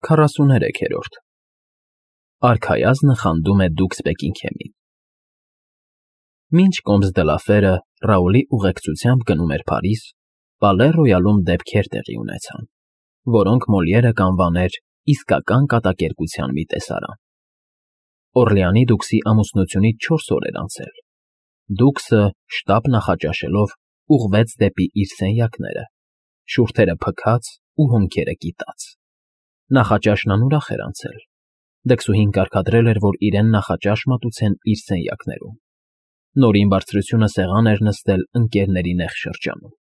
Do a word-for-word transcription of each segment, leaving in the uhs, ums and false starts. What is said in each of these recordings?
քառասուներեքերորդ Արքայազնը խանդում է դուքս Բեքինգհեմին Մինչ Կոմս դը լա Ֆերը Ռաուլի ուղեկցությամբ գնում էր Փարիզ, Պալե Ռոյալում դեպքեր տեղի ունեցան, որոնք Մոլիերը կանվաներ իսկական կատակերգության մի տեսարան։ Օրլեանի դուքսի ամուսնությունից չորս օր էր անցել։ Դուքսը, շտապ նախաճաշելով, ուղղվեց դեպի իր սենյակները, շուրթերը փքած ու հոնքերը կիտած։ Նախաճաշն անուրախ էր անցել։ Դքսուհին կարգադրել էր, որ իրեն նախաճաշ մատուցեն իր սենյակներում։ Նորին բարձրությունը սեղան էր նստել ընկերների նեղ շրջանում։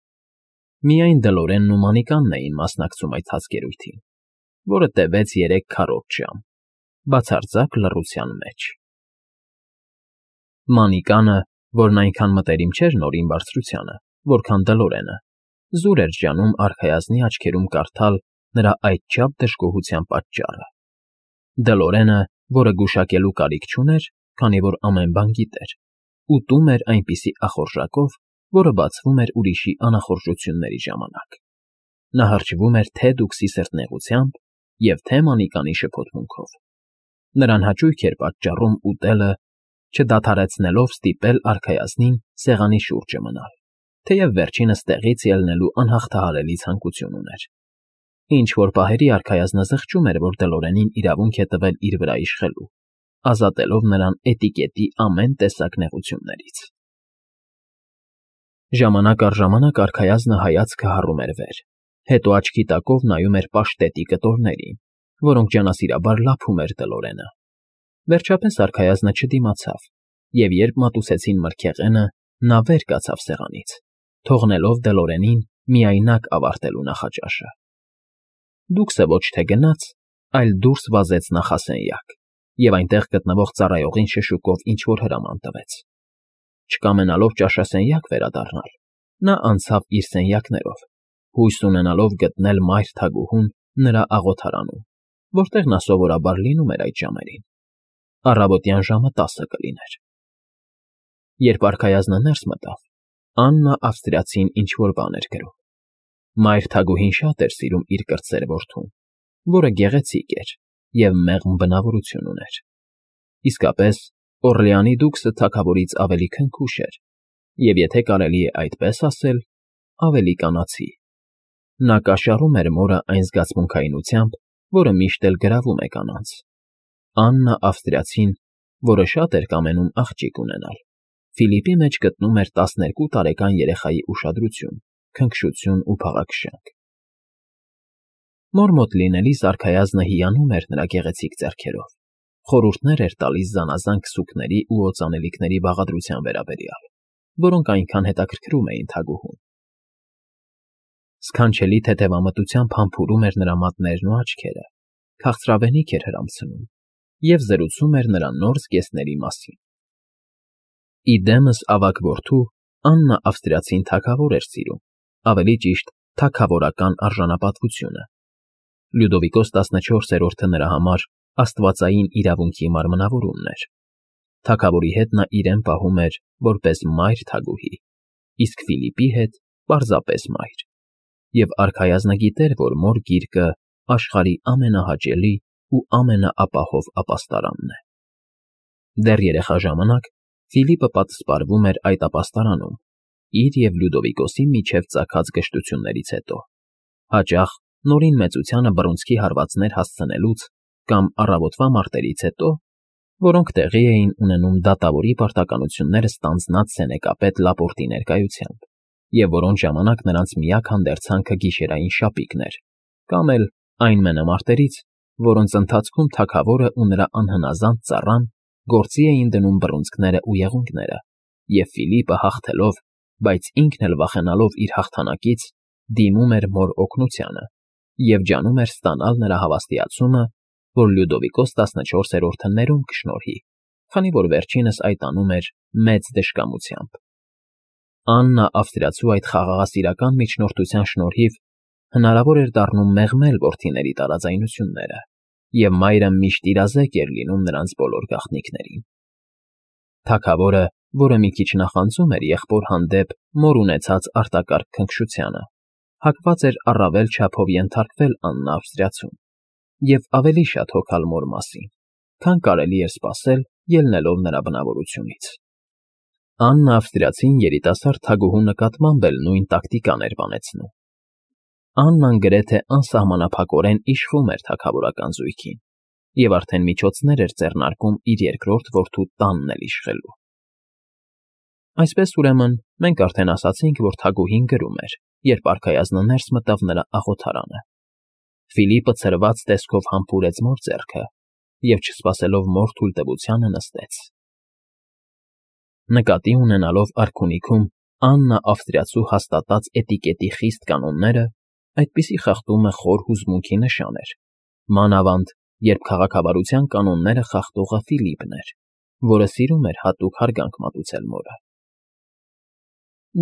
Միայն Դլորենն ու Մանիկանն էին մասնակցում այդ հացկերույթին, որը տևեց երեք քառորդ ժամ, բացարձակ լռության մեջ։ Մանիկանը, որն այնքան մտերիմ չէր Նորին բարձրությանը, որքան Դլորենը, զուր էր ջանում արքայազնի աչքերում կարդալ նրա այդչափ դժգոհության պատճառը։ Դլորենը, որը գուշակելու կարիք չուներ, քանի որ ամեն բան գիտեր, ուտում էր այնպիսի ախորժակով, որը բացվում էր ուրիշի անախորժությունների ժամանակ։ Նա հրճվում էր թե դուքսի սրտնեղությամբ և թե Մանիկանի շփոթմունքով։ Նրան հաճույք էր պատճառում ուտելը, չդադարեցնելով ստիպել արքայազնին սեղանի շուրջը մնալ, թեև վերջինս տեղից ելնելու անհաղթահարելի ցանկություն ուներ։ Ինչ-որ պահերի արքայազնը զղջում էր, որ Դլորենին իրավունք է տվել իր վրա իշխելու, ազատելով նրան էտիկետի ամեն տեսակ նեղություններից։ Ժամանակ առ ժամանակ արքայազնը հայացքը հառում էր վեր, հետո աչքի տակով նայում էր պաշտետի կտորներին, որոնք ջանասիրաբար լափում էր Դլորենը։ Վերջապես արքայազնը չդիմացավ, և երբ մատուցեցին մրգեղենը, նա վեր կացավ սեղանից, թողնելով Դլորենին միայնակ ավարտելու նախաճաշը։ Դուքսը ոչ թե գնաց, այլ դուրս վազեց նախասենյակ և այնտեղ գտնվող ծառայողին շշուկով ինչ֊որ հրաման տվեց։ Չկամենալով ճաշասենյակ վերադառնալ, նա անցավ իր սենյակներով, հույս ունենալով գտնել մայր թագուհուն նրա աղոթարանում, որտեղ նա սովորաբար լինում էր այդ ժամերին։ Առավոտյան ժամը տասը կլիներ։ Երբ արքայազնը ներս մտավ, Աննա ավստրիացին ինչ֊որ բան էր գրում։ Մայր թագուհին շատ էր սիրում իր կրտսեր որդուն, որը գեղեցիկ էր և մեղմ բնավորություն ուներ։ Իսկապես, Օրլեանի դուքսը թագավորից ավելի քնքուշ էր և, եթե կարելի է այդպես ասել, ավելի կանացի։ Նա կաշառում էր մորը այն զգացմունքայնությամբ, որը միշտ էլ գրավում է կանանց։ Աննա ավստրիացին, որը շատ էր կամենում աղջիկ ունենալ, Ֆիլիպի մեջ գտնում էր տասներկու տարեկան երեխայի ուշադրություն, քնքշություն ու փաղաքշանք։ Մոր մոտ լինելիս արքայազնը հիանում էր նրա գեղեցիկ ձեռքերով, խորհուրդներ էր տալիս զանազան քսուքների ու օծանելիքների բաղադրության վերաբերյալ, որոնք այնքան հետաքրքրում էին թագուհուն։ Սքանչելի թեթևամտությամբ համբուրում էր նրա մատներն ու աչքերը, քաղցրավենիք էր հրամցնում և զրուցում էր նրա նոր զգեստների մասին։ Իդեմս ավագ որդու Աննա ավստրիացին թագավոր էր սիրում, ավելի ճիշտ թագավորական արժանապատվությունը։ Լյուդովիկոս տասնչորսերորդը նրա համար աստվածային իրավունքի մարմնավորումն էր։ Թագավորի հետ նա իրեն պահում էր որպես մայր թագուհի, իսկ Ֆիլիպի հետ պարզապես մայր, և արքայազնը գիտեր, որ մոր գիրկը աշխարհի ամենահաճելի ու ամենաապահով ապաստարանն է։ Դեռ երեխա ժամանակ Ֆիլիպը պատսպարվում էր այդ ապաստարանում, իր և Լյուդովիկոսի միջև ծագած գժտություններից հետո, հաճախ Նորին մեծությանը բռունցքի հարվածներ հասցնելուց կամ առավոտվա մարտերից հետո, որոնք տեղի էին ունենում դատավորի պարտականությունները ստանձնած սենեկապետ Լապորտի ներկայությամբ, և որոնց ժամանակ նրանց միակ հանդերձանքը գիշերային շապիկն էր, կամ էլ այն մենամարտերից, որոնց ընթացքում թագավորը ու նրա անհնազանդ ծառան գործի էին դնում բռունցքները ու եղունգները, և Ֆիլիպը հաղթելով, բայց ինքն էլ վախենալով իր հաղթանակից, դիմում էր մոր օգնությանը և ջանում էր ստանալ նրա հավաստիացումը, որ Լյուդովիկոս տասնչորսերորդը ներում կշնորհի, քանի որ վերջինս այդ անում էր մեծ դժկամությամբ։ Աննա ավստրիացու այդ խաղաղասիրական միջնորդության շնորհիվ հնարավոր էր դառնում մեղմել որդիների տարաձայնությունները, և մայրը միշտ իրազեկ էր լինում նրանց բոլոր գաղտնիքներին։ Թագավորը, որը մի քիչ նախանձում էր եղբոր հանդեպ մոր ունեցած արտակարգ քնքշությանը, հակված էր առավել չափով ենթարկվել Աննա ավստրիացուն, և ավելի շատ հոգալ մոր մասին, քան կարելի էր սպասել ելնելով նրա բնավորությունից։ Աննա ավստրիացին երիտասարդ թագուհու նկատմամբ էլ նույն տակտիկան էր բանեցնում։ Աննան գրեթե անսահմանափակորեն իշխում էր թագավորական զույգին և արդեն միջոցներ էր ձեռնարկում իր երկրորդ որդու տանն էլ իշխելու։ Այսպես, ուրեմն, մենք արդեն ասացինք, որ թագուհին գրում էր, երբ արքայազնը ներս մտավ նրա աղոթարանը։ Ֆիլիպը ցրված տեսքով համբուրեց մոր ձեռքը և, չսպասելով մոր թույլտվությանը, նստեց։ Նկատի ունենալով արքունիքում Աննա ավստրիացու հաստատած էտիկետի խիստ կանոնները, այդպիսի խախտումը խոր հուզմունքի նշան էր, մանավանդ, երբ քաղաքավարության կանոնները խախտողը Ֆիլիպն էր, որը սիրում էր հատուկ հարգանք մատուցել մորը։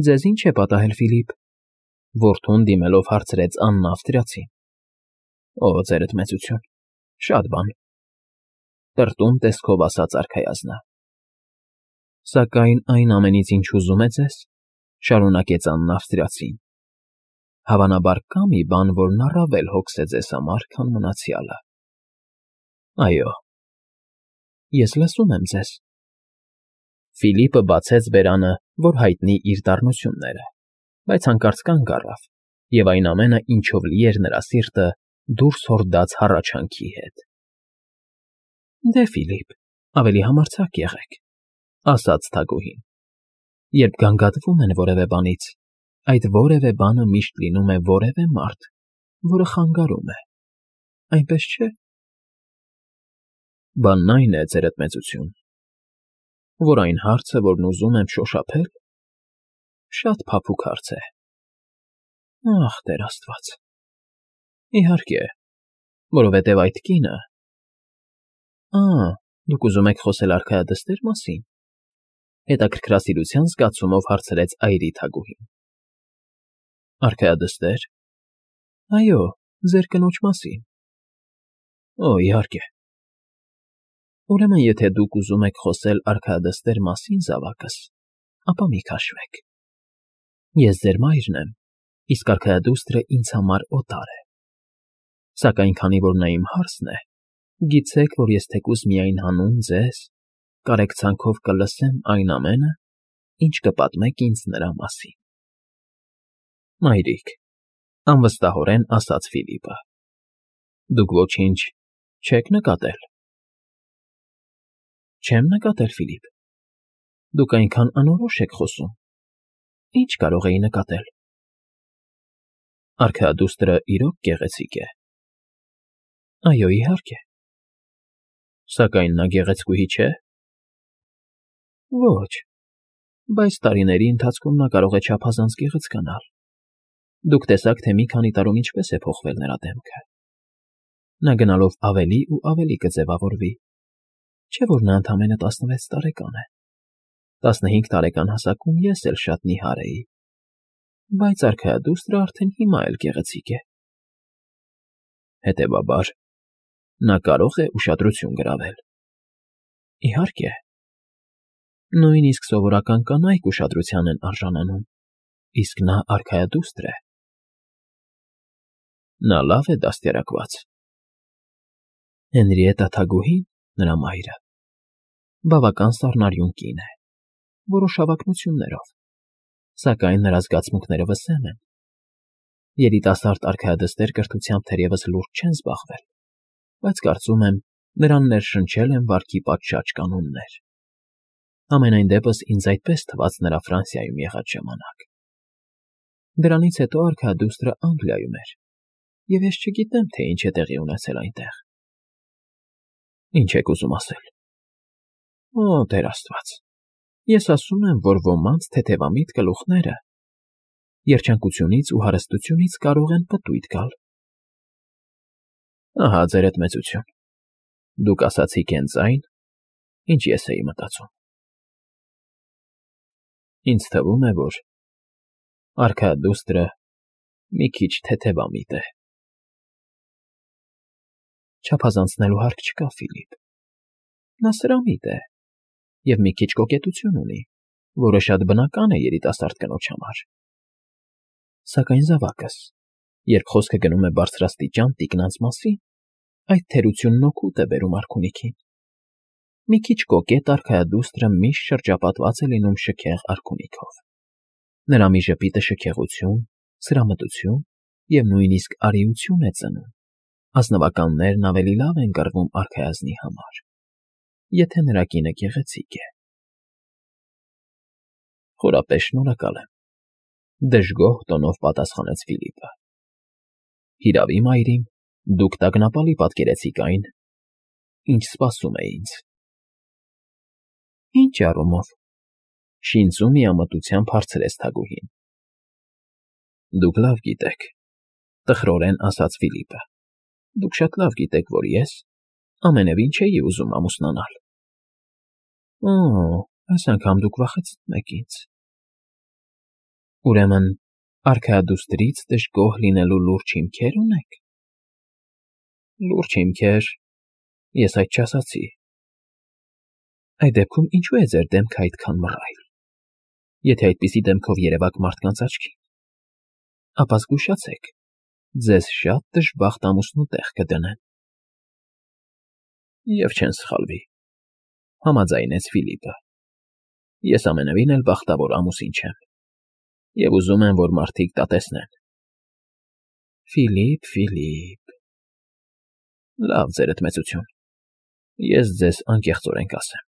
Ձեզ ի՞նչ է պատահել, Ֆիլիպ,֊ որդուն դիմելով հարցրեց Աննա ավստրիացին։ Օ, ձերդ մեծություն, շատ բան,֊ տրտում տեսքով ասաց արքայազնը։ Սակայն այն ամենից, ինչ հուզում է ձեզ,֊ շարունակեց Աննա ավստրիացին, հավանաբար կա մի բան, որն առավել հոգս է ձեզ համար, քան մնացյալը։ Այո։ Ես լսում եմ ձեզ։ Ֆիլիպը բացեց բերանը, որ հայտնի իր դառնությունները, բայց հանկարծ կանգ առավ, և այն ամենը, ինչով լի էր նրա սիրտը, դուրս հորդաց հառաչանքի հետ։ Դե, Ֆիլիպ, ավելի համարձակ եղեք,֊ ասաց թագուհին։ Երբ գանգատվում են որևէ բանից, այդ որևէ բանը միշտ լինում է որևէ մարդ, որը խանգարում է, այնպես չէ՞։ Բանն այն է, ձերդ մեծություն, որ այն հարցը, որն ուզում եմ շոշափել, շատ փափուկ հարց է։ Ախ, Տեր Աստված… Իհարկե, որովհետև այդ կինը… Ա, դուք ուզում եք խոսել արքայադստեր մասին,֊ հետաքրքրասիրության զգացումով հարցրեց այրի թագուհին։ Արքայադստեր… Այո, ձեր կնոջ մասին։ Օ, իհարկե։ Ուրեմն, եթե դուք ուզում եք խոսել արքայադստեր մասին, զավակս, ապա մի քաշվեք։ Ես ձեր մայրն եմ, իսկ արքայադուստրը ինձ համար օտար է։ Սակայն քանի որ նա իմ հարսն է, գիտեք, որ ես թեկուզ միայն հանուն ձեզ կարեկցանքով կլսեմ այն ամենը, ինչ կպատմեք ինձ նրա մասին։ Մայրիկ,֊ անվստահորեն ասաց Ֆիլիպը,֊ դուք ոչինչ չեք նկատել։ Չեմ նկատել, Ֆիլիպ։ Դուք այնքան անորոշ եք խոսում։ Ինչ կարող էի նկատել։ Արքայադուստրը իրոք գեղեցիկ է։ Այո, իհարկե։ Սակայն նա գեղեցկուհի չէ։ Ոչ, բայց տարիների ընթացքում նա կարող է չափազանց գեղեցկանալ։ Դուք տեսաք, թե մի քանի տարում ինչպես է փոխվել նրա դեմքը։ Նա գնալով ավելի ու ավելի կձևավորվի, չէ՞ որ նա ընդամենը տասնվեց տարեկան է։ Տասնհինգ տարեկան հասակում ես էլ շատ նիհար էի, բայց արքայադուստրը արդեն հիմա էլ գեղեցիկ է։ Հետևաբար, նա կարող է ուշադրություն գրավել։ Իհարկե։ Նույնիսկ սովորական կանայք ուշադրության են արժանանում, իսկ նա արքայադուստր է։ Նա լավ է դաստիարակված։ Հենրիետտա թագուհին, նրա մայրը, բավական սառնարյուն կին է, որոշ հավակնություններով, սակայն նրա զգացմունքները վսեմ են։ Երիտասարդ արքայադստեր կրթությամբ թերևս լուրջ չեն զբաղվել, բայց կարծում եմ, նրան ներշնչել են վարքի պատշաճ կանոններ։ Համենայն դեպս ինձ այդպես թվաց նրա Ֆրանսիայում եղած ժամանակ։ Դրանից հետո արքայադուստրը Անգլիայում էր, և ես չգիտեմ, թե ինչ է տեղի ունեցել այնտեղ։ Ինչ եք ուզում ասել։ Օ, Տեր Աստված, ես ասում եմ, որ ոմանց թեթևամիտ գլուխները երջանկությունից ու հարստությունից կարող են պտույտ գալ։ Ահա, ձերդ մեծություն, դուք ասացիք հենց այն, ինչ ես էի մտածում։ Ինձ թվում է, որ արքայադուստրը մի քիչ թեթևամիտ է։ Չափազանցնելու հարկ չկա, Ֆիլիպ։ Նա սրամիտ է և մի քիչ կոկետություն ունի, որը շատ բնական է երիտասարդ կնոջ համար։ Սակայն, զավակս, երբ խոսքը գնում է բարձրաստիճան տիկնանց մասին, այդ թերությունն օգուտ է բերում արքունիքին։ Մի քիչ կոկետ արքայադուստրը միշտ շրջապատված է լինում շքեղ արքունիքով։ Նրա մի ժպիտը շքեղություն, սրամտություն և նույնիսկ արիություն է ծնում։ Ազնվականներն ավելի լավ են կռվում արքայազնի համար, եթե նրա կինը գեղեցիկ է։ Խորապես շնորհակալ եմ, դժգոհ տոնով պատասխանեց Ֆիլիպը։ Հիրավի, մայրիկ, դուք տագնապալի պատկերեցիք այն, ինչ սպասում է ինձ։ Ինչ առումով, շինծու միամտությամբ հարցրեց թագուհին։ Դուք լավ գիտեք, տխրորեն ասաց Ֆիլիպը, դուք շատ լավ գիտեք, որ ես ամենևին չէի ուզում ամուսնանալ։ Օ, այս անգամ դուք վախեցնում եք ինձ։ Ուրեմն, արքայադուստրից դժգոհ լինելու լուրջ հիմքեր ունեք։ Լուրջ հիմքեր, ես այդ չասացի։ Այդ դեպքում ինչու է ձեր դեմքը այդքան մռայլ։ Եթե այդպիսի դեմքով երևաք մարդկանց աչքին, ապա զգուշացեք, ձեզ շատ դժբախտ ամուսնու տեղ կդնեն։ Եվ չեն սխալվի, համաձայնեց Ֆիլիպը։ Ես ամենևին էլ բախտավոր ամուսին չեմ, և ուզում եմ, որ մարդիկ դա տեսնեն։ Ֆիլիպ, Ֆիլիպ… Լավ, ձերդ մեծություն, ես ձեզ անկեղծորեն կասեմ։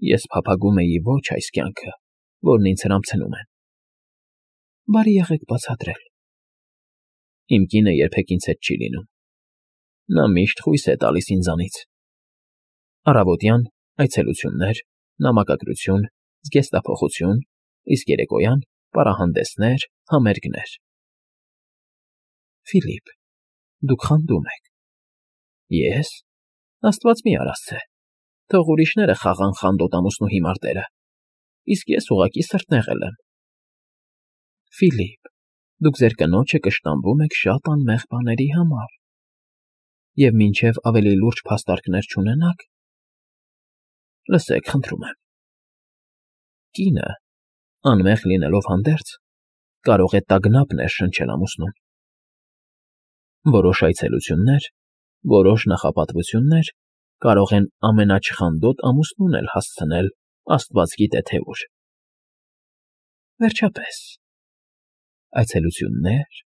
Ես փափագում էի ոչ այս կյանքը, որն ինձ հրամցնում են։ Բարի եղեք բացատրել։ Իմ կինը երբեք ինձ հետ չի լինում։ Նա միշտ խույս է տալիս ինձանից։ Առավոտյան այցելություններ, նամակագրություն, զգեստափոխություն, իսկ երեկոյան պարահանդեսներ, համերգներ։ Ֆիլիպ, դուք խանդում եք։ Ես… Աստված մի արասցե, թող ուրիշները խաղան խանդոտ ամուսնու հիմար դերը, իսկ ես ուղղակի սրտնեղել եմ։ Ֆիլիպ, դուք ձեր կնոջը կշտամբում եք շատ անմեղ բաների համար, և մինչև ավելի լուրջ փաստարկներ չունենաք… Լսեք, խնդրում եմ։ Կինը, անմեղ լինելով հանդերձ, կարող է տագնապ ներշնչել ամուսնուն։ Որոշ այցելություններ, որոշ նախապատվություններ կարող են ամենաչխանդոտ ամուսնուն էլ հասցնել աստված գիտե թե ուր։ Վերջապես, այցելություններ,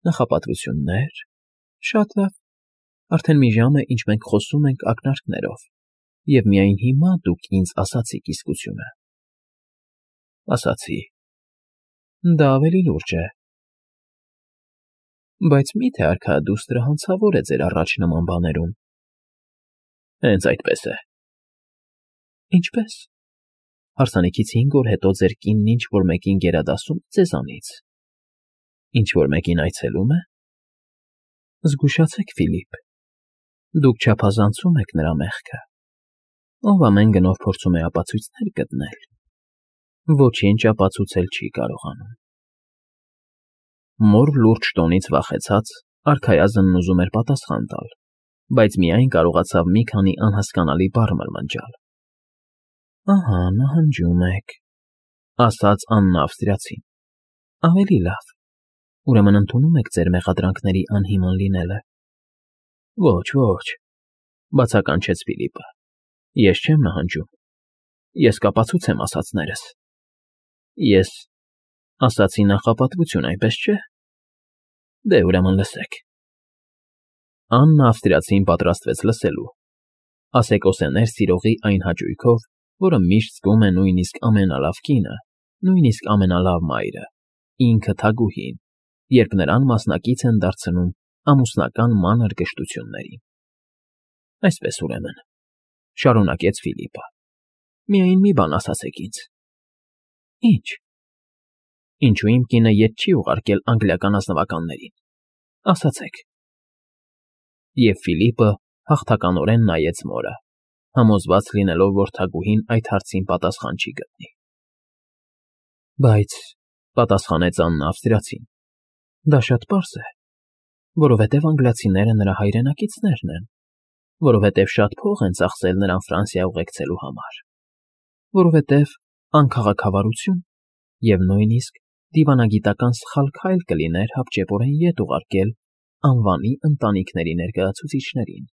նախապատվություններ… Շատ լավ, արդեն մի ժամ է, ինչ մենք խոսում ենք ակնարկներով, և միայն հիմա դուք ինձ ասացիք իսկությունը։ Ասացի… Դա ավելի լուրջ է։ Բայց մի՞թե արքայադուստրը հանցավոր է ձեր առաջ նման բաներում։ Հենց այդպես է։ Ինչպե՞ս։ Հարսանիքից հինգ օր հետո ձեր կինն ինչ֊որ մեկին գերադասում է ձեզանից։ Ինչ֊որ մեկին այցելում է։ Զգուշացեք, Ֆիլիպ, դուք չափազանցում եք նրա մեղքը, ով ամեն գնով փորձում է ապացույցներ գտնել, ոչինչ ապացուցել չի կարողանում։ Մոր լուրջ տոնից վախեցած, արքայազնն ուզում էր պատասխան տալ, բայց միայն կարողացավ մի քանի անհասկանալի բառ մրմնջալ։ Ահա, նահանջում եք, ասաց Աննա ավստրիացին։ Ավելի լավ, ուրեմն ընդունում եք ձեր մեղադրանքների անհիմն լինելը։ Ոչ, ոչ, բացականչեց Ֆիլիպը, ես չեմ նահանջում, ես կապացուցեմ ասածներս։ Ես ասացի նախապատվություն, այնպես չէ։ Դե ուրեմն լսեք։ Աննա ավստրիացին պատրաստվեց լսելու, ասեկոսեներ սիրողի այն հաճույքով, որը միշտ զգում է նույնիսկ ամենալավ կինը, նույնիսկ ամենալավ մայրը, ինքը թագուհին, երբ նրան մասնակից են դարձնում ամուսնական մանր կշտություններին։ Այսպես ուրեմն, շարունակեց Ֆիլիպը, միայն մի բան ասացեք ինձ։ Ինչ։ Ինչու իմ կինը ետ չի ուղարկել անգլիական ազնվականներին։ Ասացեք։ Եվ Ֆիլիպը հաղթականորեն նայեց մորը, համոզված լինելով, որ թագուհին այդ հարցին պատասխան չի գտնի։ Բայց, պատասխանեց Աննա ավստրիացին, դա շատ պարզ է, որովհետև անգլիացիները նրա հայրենակիցներն են, որովհետև շատ փող են ծախսել նրան Ֆրանսիա ուղեկցելու համար, որովհետև անքաղաքավարություն և նույնիսկ դիվանագիտական սխալ քայլ կլիներ հապճեպորեն ետ ուղարկել անվանի ընտանիքների ներկայացուցիչներին,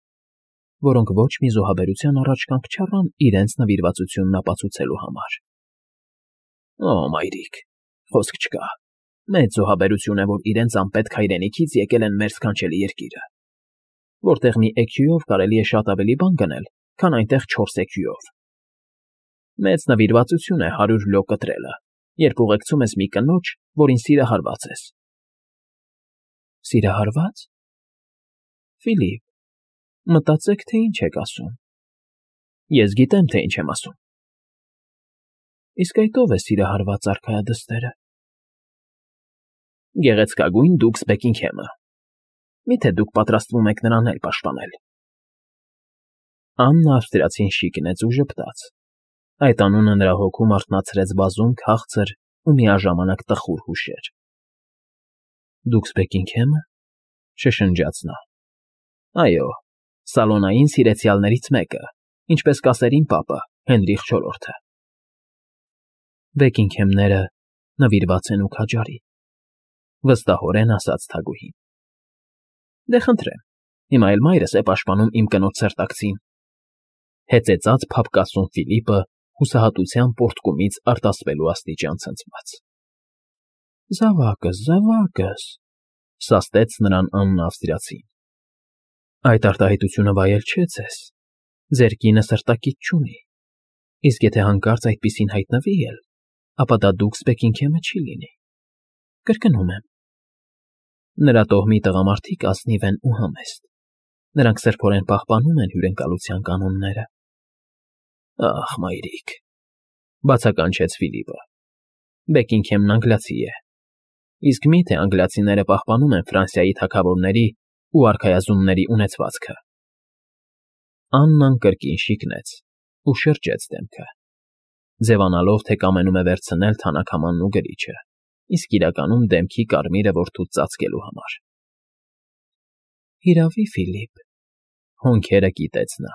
որոնք ոչ մի զոհաբերության առաջ կանգ չառան իրենց նվիրվածությունն ապացուցելու համար։ Օ, մայրիկ, խոսք չկա։ Մեծ զոհաբերություն է, որ իրենց անպետք հայրենիքից եկել են մեր սքանչելի երկիրը, որտեղ մի էքյուով կարելի է շատ ավելի բան գնել, քան այնտեղ չորս էքյուով։ Մեծ նվիրվածություն է հարյուր լո կտրելը, երբ ուղեկցում ես մի կնոջ, որին սիրահարված ես։ Սիրահարվա՞ծ։ Ֆիլիպ, մտածեք, թե ինչ եք ասում։ Ես գիտեմ, թե ինչ եմ ասում։ Իսկ այդ ո՞վ է սիրահարված արքայադստերը։ Գեղեցկագույն դուքս Բեքինգհեմը։ Միթե դուք պատրաստվում եք նրան էլ պաշտպանել։ Աննա ավստրիացին շիկնեց ու ժպտաց։ Այդ անունը նրա հոգում արթնացրեց բազում քաղցր ու միաժամանակ տխուր հուշեր։ Դուքս Բեքինգհեմը, շշնջաց նա։ Այո, սալոնային սիրեցյալներից մեկը, ինչպես կասերին պապը, Հենրիխ չորրորդը։ Բեքինգհեմները նվիրված են ու քաջարի, վստահորեն ասաց թագուհին։ Դե խնդրեմ, հիմա էլ մայրս է պաշտպանում իմ կնոջ սերտակցին։ Հեծեծած փափկասուն Ֆիլիպը հուսահատության պորտկումից արտասվելու աստիճան ցնցված։ Զավակս, զավակս, սաստեց նրան Աննա ավստրիացին։ Այդ արտահայտությունը վայել չէ ձեզ։ Ձեր կինը սրտակից չունի։ Իսկ եթե հանկարծ այդպիսին հայտնվի էլ, ապա դա դուքս Բեքինգհեմը չի լինի։ Կրկնում եմ։ Նրա տոհմի տղամարդիկ ազնիվ են ու համեստ։ Նրանք սրբորեն պահպանում են հյուրընկալության կանոնները։ Ախ, մայրիկ, բացականչեց Ֆիլիպը։ Բեքինգհեմն անգլիացի է։ Իսկ մի՞թե անգլիացիները պահպանում են Ֆրանսիայի թագավորների ու արքայազունների ունեցվածքը։ Աննան կրկին շիկնեց ու շրջեց դեմքը, ձևանալով, թե կամենում է վերցնել թանաքամանն ու գրիչը, իսկ իրականում դեմքի կարմիրը որդուց ծածկելու համար։ Հիրավի, Ֆիլիպ, հոնքերը կիտեց նա։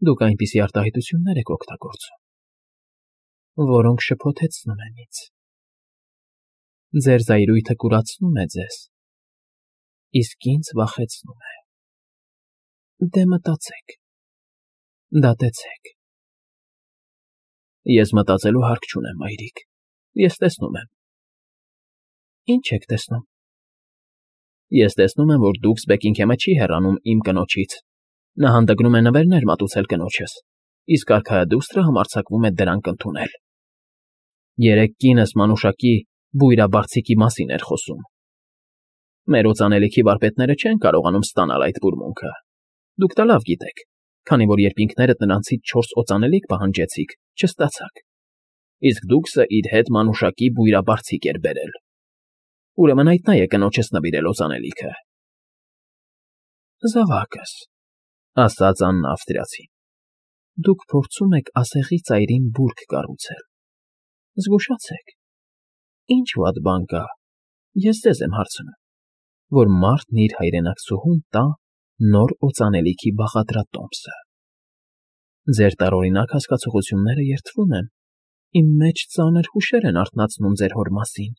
Դուք այնպիսի արտահայտություններ եք օգտագործում, որոնք շփոթեցնում են ինձ։ Ձեր զայրույթը կուրացնում է ձեզ, իսկ ինձ վախեցնում է։ Դե մտածեք, դատեցեք։ Ես մտածելու հարկ չունեմ, մայրիկ, ես տեսնում եմ։ Ինչ եք տեսնում։ Ես տեսնում եմ, որ դուքս Բեքինգհեմը չի հեռանում իմ կնոջից։ Նա հանդգնում է նվերներ մատուցել կնոջս, իսկ արքայադուստրը համարձակվում է դրանք ընդունել։ Երեք կինս մանուշակի բույրաբարձիկի մասին էր խոսում։ Մեր օծանելիքի վարպետները չեն կարողանում ստանալ այդ բուրմունքը։ Դուք դա լավ գիտեք, քանի որ երբ ինքներդ նրանցից չորս օծանելիք պահանջեցիք, չստացաք։ Իսկ դուքսը իր հետ մանուշակի բույրաբարձիկ էր բերել։ Ուրեմն այդ նա է կնոջս նվիրել օծանելիքը։ Զավակս, ասաց Աննա ավստրիացին, դուք փորձում եք ասեղի ծայրին բուրգ կառուցել։ Զգուշացեք։ Ինչ վատ բան կա, ես ձեզ եմ հարցնում, որ մարդն իր հայրենակցուհուն տա նոր օծանելիքի բաղադրատոմսը։ Ձեր տարօրինակ հասկացողությունները երդվում են, իմ մեջ ծանր հուշեր են արթնացնում ձեր հոր մասին,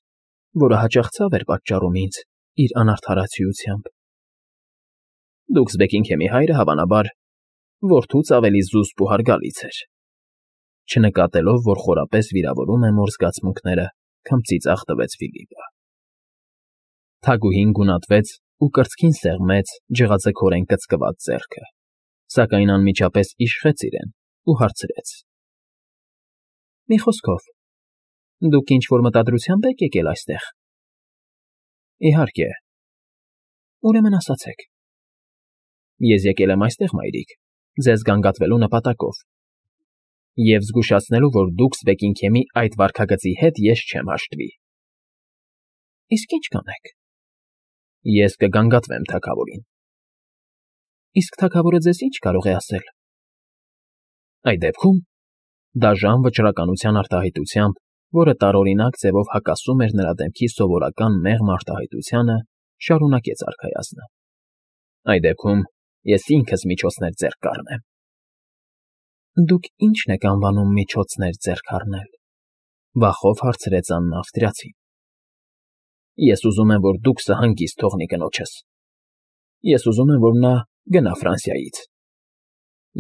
որը հաճախ ցավ էր պատճառում ինձ իր անարդարացիությամբ։ Դուքս Բեքինգհեմի հայրը, հավանաբար, որդուց ավելի զուսպ ու հարգալից էր, չնկատելով, որ խորապես վիրավորում է մոր զգացմունքները, քմծից աղտվեց Ֆիլիպը։ Թագուհին գունատվեց ու կրծքին սեղմեց ջղաձգորեն կծկված ձեռքը, սակայն անմիջապես իշխեց իրեն ու հարցրեց. Մի խոսքով, դուք ինչ-որ մտադրությամբ եք եկել այստեղ։ Իհարկե։ Ուրեմն ասացեք։ Ես եկել եմ այստեղ, մայրիկ, ձեզ գանգատվելու նպատակով և զգուշացնելու, որ դուքս Բեքինգհեմի այդ վարքագծի հետ ես չեմ հաշտվի։ Իսկ ինչ կանեք։ Ես կգանգատվեմ թագավորին։ Իսկ թագավորը ձեզ ինչ կարող է ասել։ Այդ դեպքում դաժան վճռականության արտահայտությամբ, որը տարօրինակ ձևով հակասում էր նրա դեմքի սովորական մեղմ արտահայտությանը, շարունակեց արքայազնը։ Այդ դեպքում ես ինքս միջոցներ ձեռք կառնեմ։ Դուք ի՞նչն եք անվանում միջոցներ ձեռք առնել, վախով հարցրեց Աննա ավստրիացին։ Ես ուզում եմ, որ դուքսը հանգիստ թողնի կնոջս։ Ես ուզում եմ, որ նա գնա Ֆրանսիայից,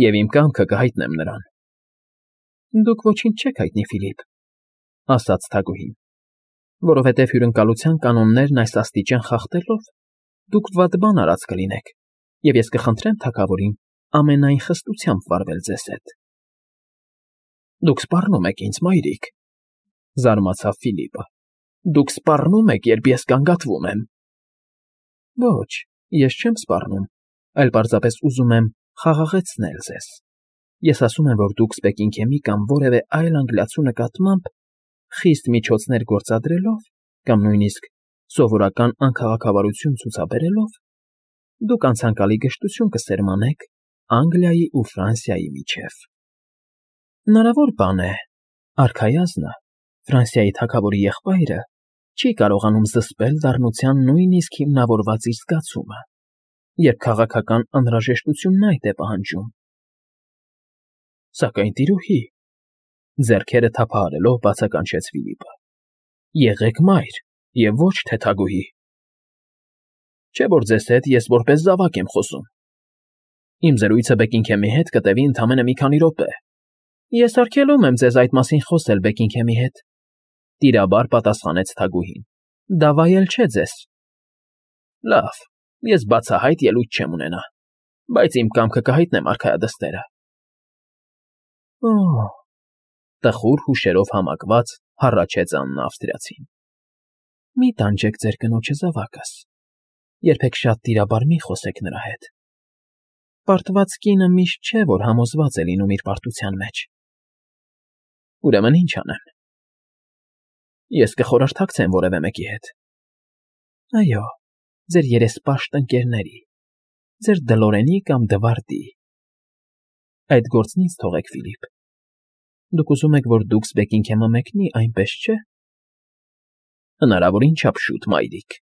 և իմ կամքը կհայտնեմ նրան։ ֊ Դուք ոչինչ չեք հայտնի, Ֆիլիպ, ֊ ասաց թագուհին, ֊ որովհետև հյուրընկալության կանոններն այս աստիճան խախտելով դուք վատ բան արած կլինեք, և ես կխնդրեմ թագավորին ամենայն խստությամբ վարվել ձեզ հետ։ ֊ Դուք սպառնում եք ինձ, մայրիկ, ֊ զարմացավ Ֆիլիպը։ ֊ Դուք սպառնում եք, երբ ես գանգատվում եմ։ ֊ Ոչ, ես չեմ սպառնում, այլ պարզապես ուզում եմ խաղաղեցնել ձեզ։ Ես ասում եմ, որ դուք Սպեկինգհեմի կամ որևէ այլ անգլիացու նկատմամբ խիստ միջոցներ գործադրելով կամ նույնիսկ սովորական անքաղաքավարություն ցուցաբերելով, դուք անցանկալի գժտություն կսերմանեք Անգլիայի ու Ֆրանսիայի միջև։ Հնարավոր բան է, արքայազնը, Ֆրանսիայի թագավորի եղբայրը, չի կարողանում զսպել դառնության նույնիսկ հիմնավորված իր զգացումը, երբ քաղաքական անհրաժեշտությունն այդ է պահանջում։ ֊ Սակայն, տիրուհի, ֊ ձեռքերը թափահարելով բացականչեց Ֆիլիպը, ֊ եղեք մայր և ոչ թե թագուհի։ Չէ՞ որ ձեզ հետ ես որպես զավակ եմ խոսում։ Իմ զրույցը Բեքինգհեմի հետ կտևի ընդամենը մի քանի րոպե։ Ես արգելում եմ ձեզ այդ մասին խոսել Բեքինգհեմի հետ, ֊ տիրաբար պատասխանեց թագուհին։ ֊ Դա վայել չէ ձեզ։ ֊ Լավ, ես բացահայտ ելույթ չեմ ունենա, բայց իմ կամքը կհայտնեմ արքայադստերը։ ֊ Օ՜, ֊ տխուր հուշերով համակված հառաչեց Աննա Ավստրիացին։ ֊ Մի տանջեք ձեր կնոջը, զավակս, երբեք շատ տիրաբար մի խոսեք նրա հետ։ Պարտված կինը միշտ չէ, որ համոզված է լինում իր պարտության մեջ։ ֊ Ուրեմն ի՞նչ անեմ։ ֊ Ես կխորհրդակցեմ որևէ մեկի հետ։ ֊ Այո, ձեր երեսպաշտ ընկերների, ձեր Դլորենի կամ Դվարդի։ ֊ Այդ գործն ինձ թողեք, Ֆիլիպ։ Դուք ուզում եք, որ դուքս Բեքինգհեմը մեկնի, այնպես չէ՞։ ֊ Հնարավորին չափ շուտ, մայրիկ։ ֊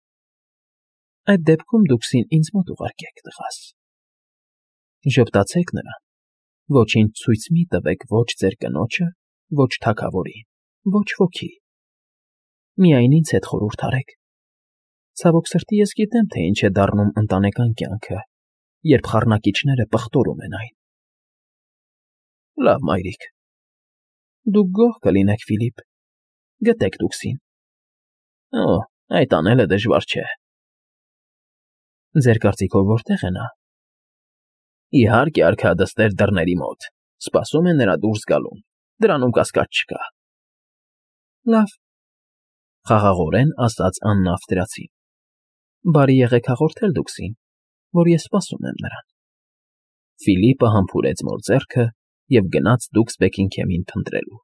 Այդ դեպքում դուքսին ինձ մոտ ուղարկեք, տղաս։ Ժպտացեք նրան, ոչինչ ցույց մի տվեք ոչ ձեր կնոջը, ոչ թագավորին, ոչ ոքի։ Միայն ինձ հետ խորհուրդ արեք։ Ցավոք սրտի, ես գիտեմ, թե ինչ է դառնում ընտանեկան կյանքը, երբ խառնակիչները պղտորում են այն։ ֊ Լավ, մայրիկ։ Դուք գոհ կլինեք, Ֆիլիպ, գտեք դուքսին։ ֊ Օ, այդ անելը դժվար չէ։ ֊ Ձեր կարծիքով որտե՞ղ է նա։ ֊ Իհարկե, արքայադստեր դռների մոտ, սպասում է նրա դուրս գալուն, դրանում կասկած չկա։ ֊ Լավ, ֊ խաղաղորեն ասաց Աննա Ավստրիացին։ ֊ Բարի եղեք հաղորդել դուքսին, որ ես սպասում եմ նրան։ Ֆիլիպը համբուրեց նոր ձեռքը և գնաց դուքս Բեքինգհեմին փնտրելու։